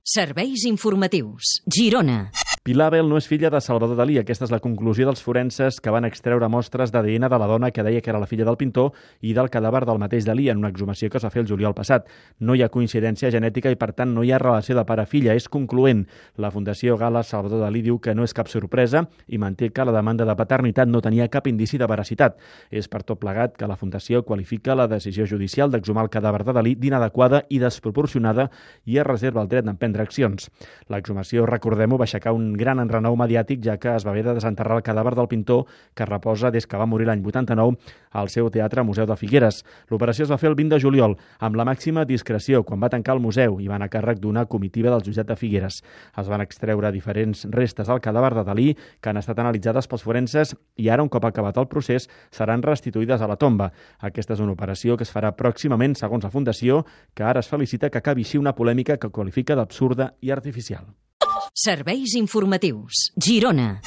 Serveis informatius. Girona. Pilar Bel no és filla de Salvador Dalí. Aquesta és la conclusió dels forenses que van extreure mostres d'ADN de la dona que deia que era la filla del pintor i del cadàver del mateix Dalí en una exhumació que es va fer el juliol passat. No hi ha coincidència genètica i, per tant, no hi ha relació de pare-filla. És concloent. La Fundació Gala Salvador Dalí diu que no és cap sorpresa i manté que la demanda de paternitat no tenia cap indici de veracitat. És per tot plegat que la Fundació qualifica la decisió judicial d'exhumar el cadàver de Dalí d'inadequada i desproporcionada i es reserva el dret d'emprendre accions. L'exhumació, recordem-ho, va aixecar un gran enrenou mediàtic, ja que es va haver de desenterrar el cadàver del pintor que reposa des que va morir l'any 89 al seu teatre Museu de Figueres. L'operació es va fer el 20 de juliol, amb la màxima discreció, quan va tancar el museu i van a càrrec d'una comitiva del jutjat de Figueres. Es van extreure diferents restes del cadàver de Dalí que han estat analitzades pels forenses i ara, un cop acabat el procés, seran restituïdes a la tomba. Aquesta és una operació que es farà pròximament, segons la Fundació, que ara es felicita que acabi així una polèmica que qualifica d'absurda i artificial. Serveis informatius. Girona.